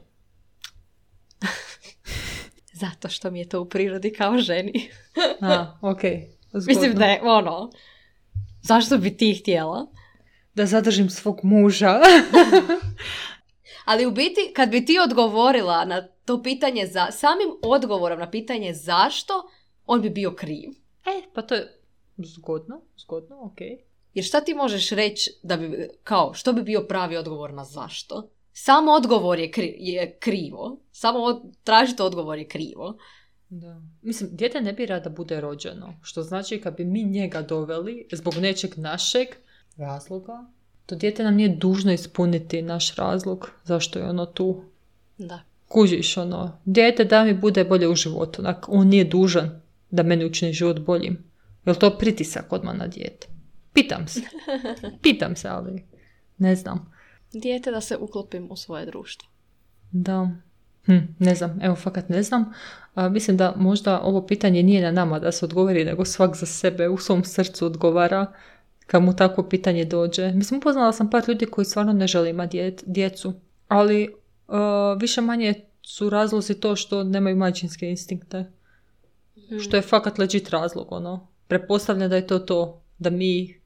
Zato što mi je to u prirodi kao ženi. A, okej. Okay. Mislim da je ono, zašto bi ti htjela? Da zadržim svog muža. Ali u biti, kad bi ti odgovorila na to pitanje, za samim odgovorom na pitanje zašto, on bi bio kriv. E, pa to je zgodno, zgodno, okej. Okay. Jer šta ti možeš reći da bi, kao, što bi bio pravi odgovor na zašto? Samo odgovor je, kri, je krivo. Samo od, tražiti odgovor je krivo. Da. Mislim, dijete ne bira da bude rođeno. Što znači kad bi mi njega doveli zbog nečeg našeg razloga, to dijete nam nije dužno ispuniti naš razlog zašto je ono tu. Da. Kužiš, ono, dijete da mi bude bolje u životu. On nije dužan da meni učini život boljim. Je li to pritisak odmah na dijete? Pitam se. Pitam se, ali ne znam. Dijete da se uklopim u svoje društvo. Da. Hm, ne znam, evo fakat ne znam. A, mislim da možda ovo pitanje nije na nama da se odgovori, nego svak za sebe u svom srcu odgovara kad mu takvo pitanje dođe. Mislim, upoznala sam par ljudi koji stvarno ne žele imati dje, djecu, ali uh, više manje su razlozi to što nemaju majčinske instinkte. Hmm. Što je fakat legit razlog, ono. Pretpostavljam da je to to da mi,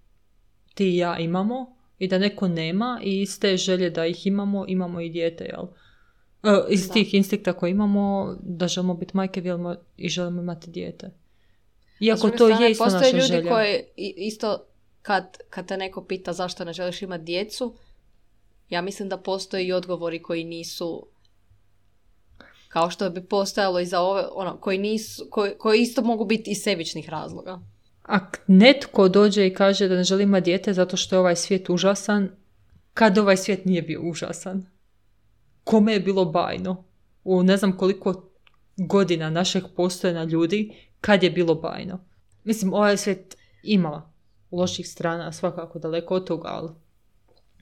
ti i ja imamo i da neko nema i iz te želje da ih imamo, imamo i dijete, jel? Uh, iz da. Tih instinkta koje imamo, da želimo biti majke želimo, i želimo imati dijete. Iako to strane, je isto naša želja. Postoje ljudi koji isto kad, kad te neko pita zašto ne želiš imati djecu, ja mislim da postoje i odgovori koji nisu, kao što bi postojalo i za ove, ono, koji, nisu, koji, koji isto mogu biti iz sebičnih razloga. Ako netko dođe i kaže da ne želi imati dijete zato što je ovaj svijet užasan, kad ovaj svijet nije bio užasan? Kome je bilo bajno? U ne znam koliko godina našeg postojanja ljudi, kad je bilo bajno? Mislim, ovaj svijet ima loših strana, svakako daleko od toga, ali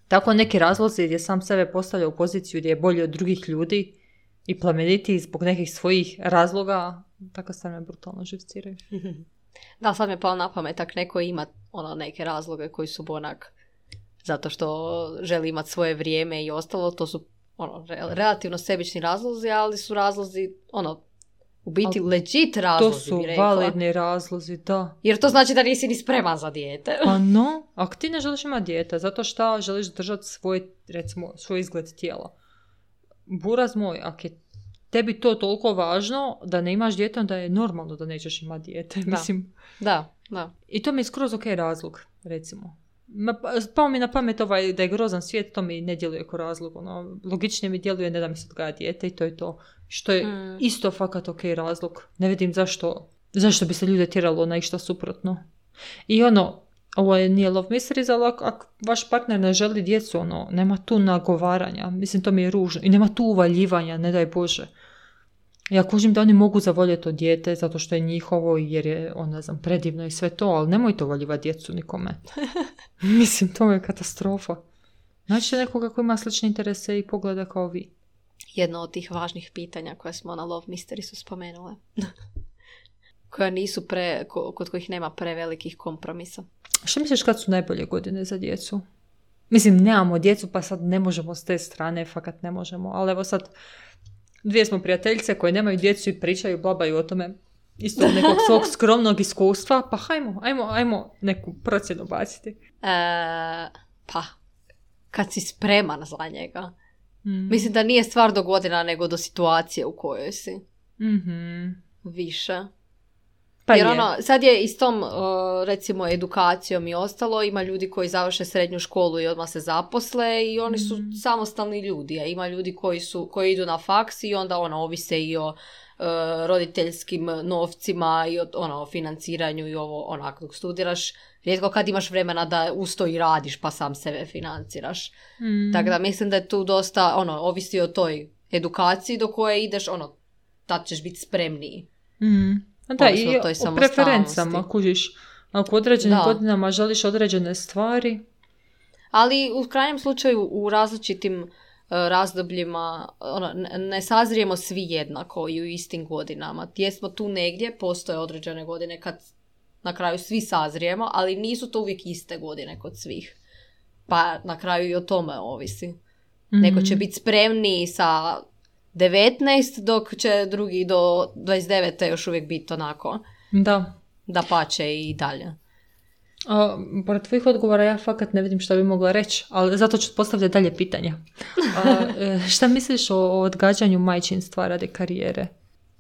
tako neki razlozi gdje sam sebe postavlja u poziciju gdje je bolji od drugih ljudi i plemenitiji zbog nekih svojih razloga, tako se me brutalno živciraju. Da, sad mi je pao na pamet, tak neko ima ono, neke razloge koji su onak zato što želi imati svoje vrijeme i ostalo, to su ono, relativno sebični razlozi, ali su razlozi, ono, u biti ali legit razlozi, to su validni razlozi, da. Jer to znači da nisi ni spreman za dijete. Pa no, ako ti ne želiš imati dijete, zato što želiš držati svoj, recimo, svoj izgled tijela. Buraz moj, ako je tebi to toliko važno da ne imaš dijete, onda je normalno da nećeš imati dijete. Da. Mislim. Da, da. I to mi je skroz ok razlog, recimo. Pao mi na pamet ovaj da je grozan svijet, to mi ne djeluje kao razlog. Ono, logičnije mi djeluje ne da mi se odgaja dijete i to je to. Što je mm. isto fakat ok razlog. Ne vidim zašto, zašto bi se ljude tjeralo na išta suprotno. I ono, ovo je nije love mysteries, ali ako, ako vaš partner ne želi djecu, ono, nema tu nagovaranja. Mislim, to mi je ružno. I nema tu uvaljivanja, ne daj Bože. Ja kužim da oni mogu zavoljeti to dijete zato što je njihovo jer je, on ne znam, predivno i sve to, ali nemojte uvaljivati djecu nikome. Mislim, to je katastrofa. Znači nekoga koji ima slične interese i pogleda kao vi. Jedno od tih važnih pitanja koje smo na Love Mysteriesu spomenule. Koja nisu pre, kod kojih nema prevelikih kompromisa. Što misliš kad su najbolje godine za djecu? Mislim, nemamo djecu pa sad ne možemo s te strane, fakat ne možemo, ali evo sad dvije smo prijateljice koje nemaju djecu i pričaju, blabaju o tome isto od nekog svog skromnog iskustva, pa hajmo, ajmo, ajmo neku procjenu baciti. E, pa, kad si spreman za njega. Mm. Mislim da nije stvar do godina, nego do situacije u kojoj si. Mm-hmm. Više. Pa Jer je. ono, sad je i s tom, uh, recimo, edukacijom i ostalo, ima ljudi koji završe srednju školu i odmah se zaposle i oni su mm. samostalni ljudi, a ima ljudi koji, su, koji idu na faks i onda ono, ovise i o uh, roditeljskim novcima i o ono, financiranju i ovo, onak, dok studiraš, rijetko kad imaš vremena da usto i radiš pa sam sebe financiraš. Mm. Tako da mislim da je tu dosta, ono, ovisi o toj edukaciji do koje ideš, ono, tad ćeš biti spremniji. Mm. Da, i o preferencama, kužiš. Ako u određenim da. godinama želiš određene stvari. Ali u krajnjem slučaju u različitim uh, razdobljima ono, ne sazrijemo svi jednako i u istim godinama. Jesmo tu negdje, postoje određene godine kad na kraju svi sazrijemo, ali nisu to uvijek iste godine kod svih. Pa na kraju i o tome ovisi. Mm-hmm. Neko će biti spremniji sa devetnaest, dok će drugi do dvadeset devet još uvijek biti onako. Da. Da pače i dalje. A, pored tvojih odgovora ja fakat ne vidim šta bi mogla reći, ali zato ću postavljati dalje pitanja. A, šta misliš o, o odgađanju majčinstva radi karijere?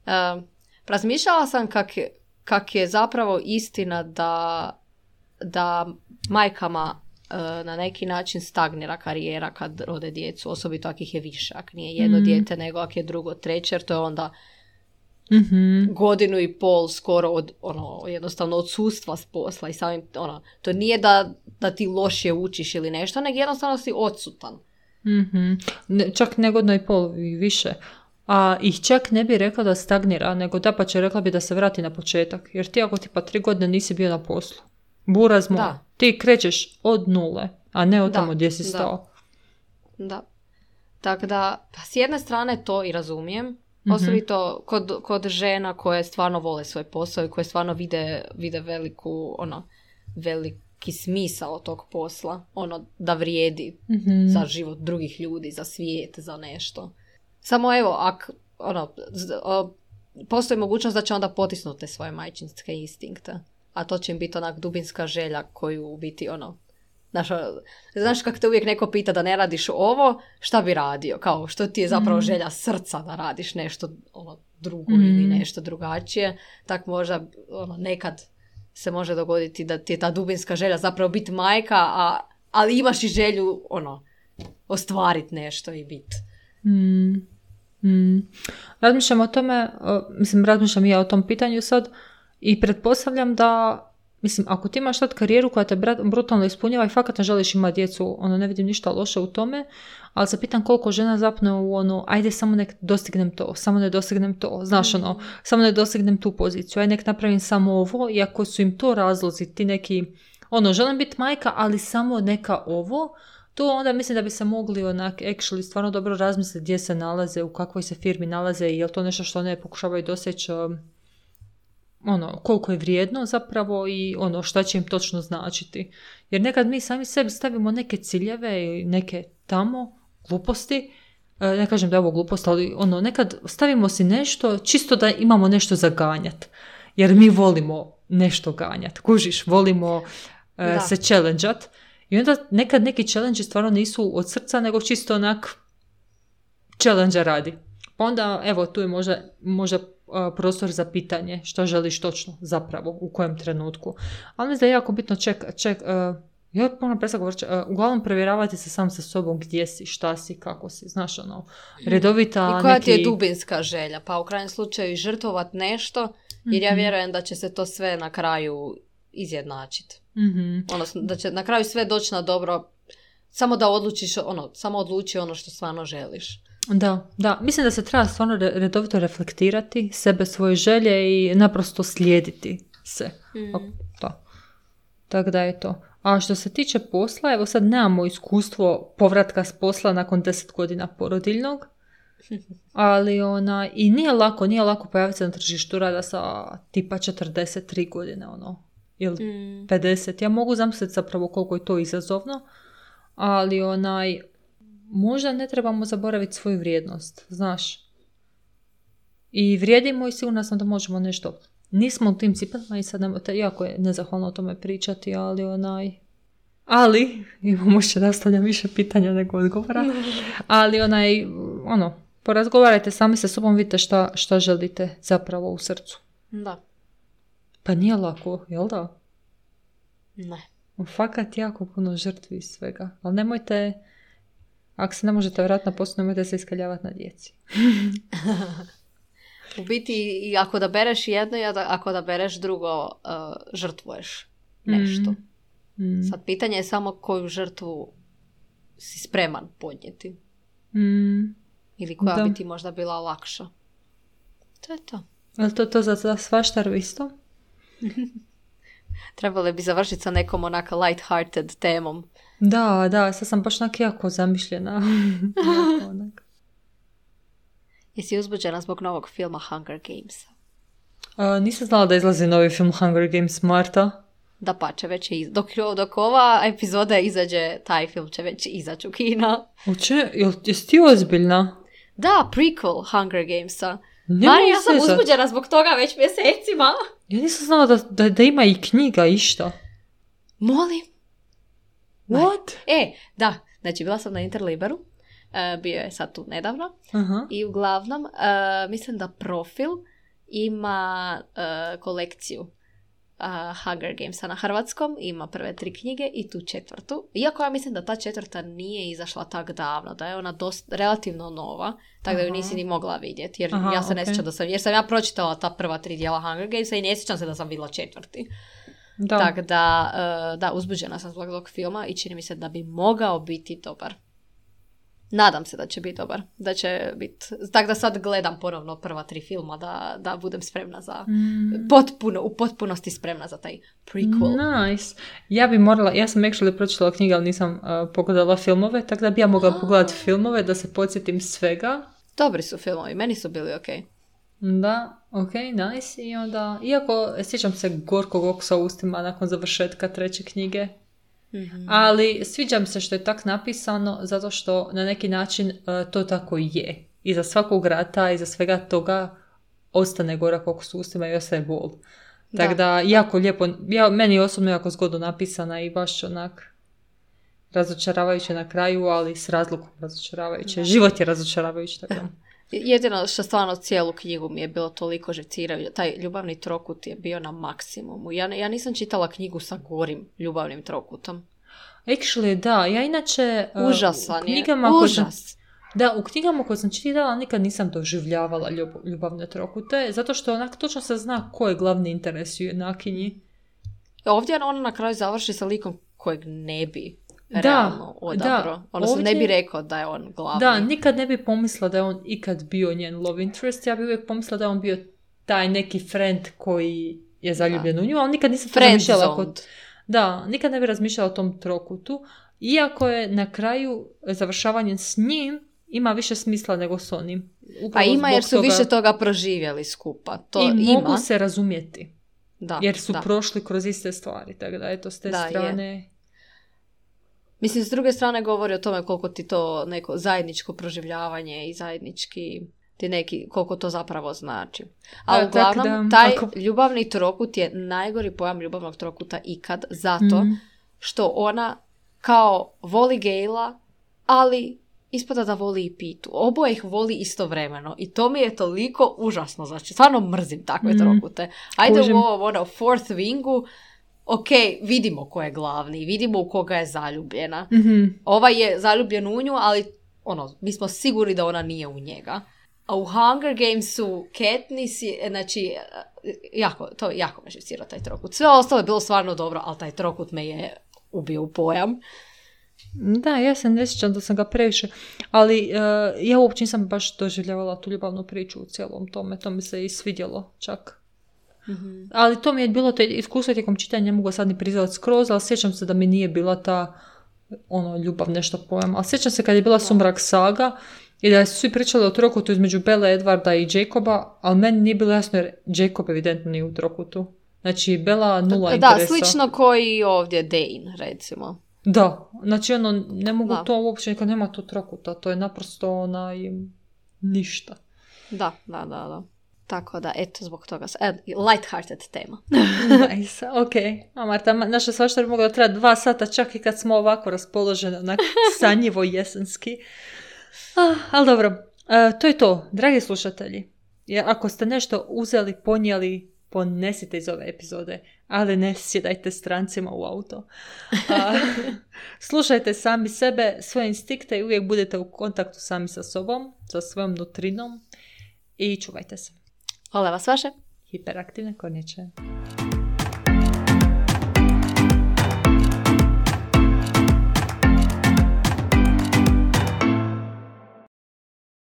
A, razmišljala sam kak je, kak je zapravo istina da, da majkama na neki način stagnira karijera kad rode djecu, osobito ako ih je više, ako nije jedno mm. dijete nego ako je drugo, treće, jer to je onda mm-hmm. godinu i pol skoro od, ono, jednostavno odsustva s posla i samim, ono, to nije da, da ti lošije učiš ili nešto, nego jednostavno si odsutan. Mm-hmm. Ne, čak ne godinu i pol i više. A ih čak ne bi rekla da stagnira, nego da pa će rekla bi da se vrati na početak, jer ti ako ti pa tri godine nisi bio na poslu, burazmo, da. Ti krećeš od nule, a ne od tamo gdje si stao. Da. da. Tako da, pa s jedne strane to i razumijem, mm-hmm. osobito kod, kod žena koje stvarno vole svoj posao i koje stvarno vide, vide veliku, ono, veliki smisao tog posla, ono, da vrijedi mm-hmm. za život drugih ljudi, za svijet, za nešto. Samo evo, ak, ono, z, o, postoji mogućnost da će onda potisnuti svoje majčinske instinkte. A to će im biti onak dubinska želja koju u biti ono, znaš, znaš kako te uvijek neko pita da ne radiš ovo, šta bi radio? Kao što ti je zapravo mm. želja srca da radiš nešto ono, drugo mm. ili nešto drugačije. Tak možda ono, nekad se može dogoditi da ti je ta dubinska želja zapravo biti majka, a, ali imaš i želju ono, ostvariti nešto i biti. Mm. Mm. Razmišljam o tome, mislim razmišljam i ja o tom pitanju sad, i pretpostavljam da, mislim, ako ti imaš sad karijeru koja te brutalno ispunjava i fakat ne želiš imati djecu, ono, ne vidim ništa loše u tome, ali se pitam koliko žena zapne u ono, ajde samo nek dostignem to, samo ne dostignem to, znaš ono, samo ne dostignem tu poziciju, ajde nek napravim samo ovo, i ako su im to razlozi, ti neki, ono, želim biti majka, ali samo neka ovo, to onda mislim da bi se mogli onak, actually, stvarno dobro razmisliti gdje se nalaze, u kakvoj se firmi nalaze i je li to nešto što ne pokušavaju doseći, ono, koliko je vrijedno zapravo i ono šta će im točno značiti. Jer nekad mi sami sebi stavimo neke ciljeve i neke tamo gluposti, ne kažem da je ovo glupost, ali ono, nekad stavimo si nešto čisto da imamo nešto za ganjat. Jer mi volimo nešto ganjat. Kužiš, volimo uh, se challengeat. I onda nekad neki challenge stvarno nisu od srca, nego čisto onak challenge radi. Pa onda, evo, tu je možda, možda prostor za pitanje što želiš točno zapravo, u kojem trenutku. Ali mislim da je jako bitno ček, ček, uh, ja moram presako govoriti, uh, uglavnom provjeravati se sam sa sobom gdje si, šta si, kako si, znaš ono, redovita i koja neki... ti je dubinska želja, pa u krajnjem slučaju i žrtvovat nešto, jer ja vjerujem da će se to sve na kraju izjednačiti. Mm-hmm. Odnosno, da će na kraju sve doći na dobro, samo da odlučiš, ono, samo odluči ono što stvarno želiš. Da, da. Mislim da se treba stvarno redovito reflektirati sebe, svoje želje i naprosto slijediti se. Mm. Da. Tako da je to. A što se tiče posla, evo sad nemamo iskustvo povratka s posla nakon deset godina porodiljnog, ali ona, i nije lako, nije lako pojaviti se na tržištu rada sa tipa četrdeset tri godine, ono, ili mm. pedeset. Ja mogu zamisliti zapravo koliko je to izazovno, ali onaj, možda ne trebamo zaboraviti svoju vrijednost, znaš. I vrijedimo i sigurno sam da možemo nešto. Nismo u tim cipelama i sad nemojte, jako je nezahvalno o tome pričati, ali onaj, Ali, imamo še da ostavljam više pitanja nego odgovora, ali onaj, ono, porazgovarajte sami sa sobom, vidite šta, šta želite zapravo u srcu. Da. Pa nije lako, jel da? Ne. Fakat jako puno žrtvi iz svega. Ali nemojte, ako se ne možete vratiti na posao, nemojte se iskaljavati na djeci. U biti, i ako da bereš jedno i ako da bereš drugo, uh, žrtvuješ nešto. Mm. Mm. Sad, pitanje je samo koju žrtvu si spreman podnijeti. Mm. Ili koja da. bi ti možda bila lakša. To je to. Je li to to za, za svaštaru isto? Trebalo bi završiti sa nekom onaka light-hearted temom. Da, da, sad sam baš onak jako zamišljena. jako onak. Jesi uzbuđena zbog novog filma Hunger Gamesa? Uh, nisam znala da izlazi novi film Hunger Games, Marta. Da pače, već je iz... dok, dok ova epizoda izađe, taj film će već izaći u kina. Uče, jel, jesi ti ozbiljna? Da, prequel Hunger Gamesa. Ne Mari, ja sam uzezat. uzbuđena zbog toga već mjesecima. Ja nisam znala da, da, da ima i knjiga išta. Molim? What? E, da, znači bila sam na Interliberu, uh, bio je sad tu nedavno, Aha. i uglavnom uh, mislim da Profil ima uh, kolekciju uh, Hunger Gamesa na hrvatskom, ima prve tri knjige i tu četvrtu. Iako ja mislim da ta četvrta nije izašla tak davno, da je ona dost, relativno nova, tako da ju nisi ni mogla vidjeti, jer Aha, ja se ne okay. sjećam da sam, jer sam ja pročitala ta prva tri dijela Hunger Gamesa i ne sjećam se da sam vidjela četvrti. Da. Tako da, uh, da, uzbuđena sam zbog tog filma i čini mi se da bi mogao biti dobar. Nadam se da će biti dobar. Da će biti... Tako da sad gledam ponovno prva tri filma da, da budem spremna za... Mm. Potpuno, u potpunosti spremna za taj prequel. Nice. Ja bi morala... Ja sam actually pročitala knjige, ali nisam uh, pogledala filmove, tako da bi ja mogla oh. pogledati filmove da se podsjetim svega. Dobri su filmovi, meni su bili ok. Da, ok, nice. I onda, iako sjećam se gorkog okusa u ustima nakon završetka treće knjige, mm-hmm. ali sviđa mi se što je tak napisano, zato što na neki način uh, to tako je. Iza svakog rata, iza svega toga ostane gorak okus u ustima i ostaje bol. Tako da, jako lijepo, ja, meni je osobno jako zgodno napisana i baš onak razočaravajuće na kraju, ali s razlogom razočaravajuće. Da. Život je razočaravajući, tako da. Jedino što stvarno cijelu knjigu mi je bilo toliko živcirajuće. Taj ljubavni trokut je bio na maksimumu. Ja, ja nisam čitala knjigu sa gorim ljubavnim trokutom. Actually, da. Ja inače... Užasan uh, knjigama je. Užas. Sam, da, u knjigama koje sam čitala nikad nisam doživljavala ljub, ljubavne trokute, zato što onak točno se zna ko je glavni interes u junakinji. Ovdje ona na kraju završi sa likom kojeg ne bi realno odabro. Odnosno ovdje... ne bi rekao da je on glavni. Da, nikad ne bi pomislila da je on ikad bio njen love interest. Ja bi uvijek pomislila da je on bio taj neki friend koji je zaljubljen da. u nju, ali nikad nisam razmišljala kod... Da, nikad ne bi razmišljala o tom trokutu. Iako je na kraju završavanje s njim ima više smisla nego s onim. Upravo pa ima jer su toga... više toga proživjeli skupa. To I ima. mogu se razumjeti. Da, jer su da. prošli kroz iste stvari. Tako da, eto, s te da, strane... Je. Mislim, s druge strane govori o tome koliko ti to neko zajedničko proživljavanje i zajednički ti neki, koliko to zapravo znači. A da, uglavnom, da, taj ako... ljubavni trokut je najgori pojam ljubavnog trokuta ikad, zato mm. što ona kao voli Gejla, ali ispada da voli i Pitu. Oboje ih voli istovremeno i to mi je toliko užasno. Znači, stvarno mrzim takve mm. trokute. Ajde Kužim. u ovo, ono, fourth wingu, ok, vidimo ko je glavni, vidimo u koga je zaljubljena. Mm-hmm. Ova je zaljubljen u nju, ali ono, mi smo sigurni da ona nije u njega. A u Hunger Gamesu Katniss je, znači, jako, to jako me živcira taj trokut. Sve ostalo je bilo stvarno dobro, ali taj trokut me je ubio u pojam. Da, ja se ne sjećam da sam ga previše, ali uh, ja uopće nisam baš doživljavala tu ljubavnu priču u cijelom tome, to mi se i svidjelo čak. Mm-hmm. Ali to mi je bilo to iskustvo tijekom čitanja, ne mogu sad ni priznati skroz, ali sjećam se da mi nije bila ta ono, ljubav nešto pojam. Ali sjećam se kad je bila Sumrak saga i da su svi pričali o trokutu između Belle, Edwarda i Jacoba, ali meni nije bilo jasno jer Jacob evidentno nije u trokutu. Znači, Bella nula da, interesa. Da, slično koji ovdje Dane, recimo. Da, znači ono, ne mogu da. to uopće, kad nema tu trokuta, to je naprosto onaj ništa. Da, da, da, da. Tako da, eto, zbog toga. E, light-hearted tema. Nice, ok. A Marta, naša svašta bi mogla trajati dva sata, čak i kad smo ovako raspoloženi, onak sanjivo jesenski. Ah, ali dobro, uh, to je to, dragi slušatelji. Jer ako ste nešto uzeli, ponijeli, ponesite iz ove epizode, ali ne sjedajte strancima u auto. Uh, slušajte sami sebe, svoje instinkte i uvijek budete u kontaktu sami sa sobom, sa svojom nutrinom i čuvajte se. Hvala vas vaše. Hiperaktivne kornjače.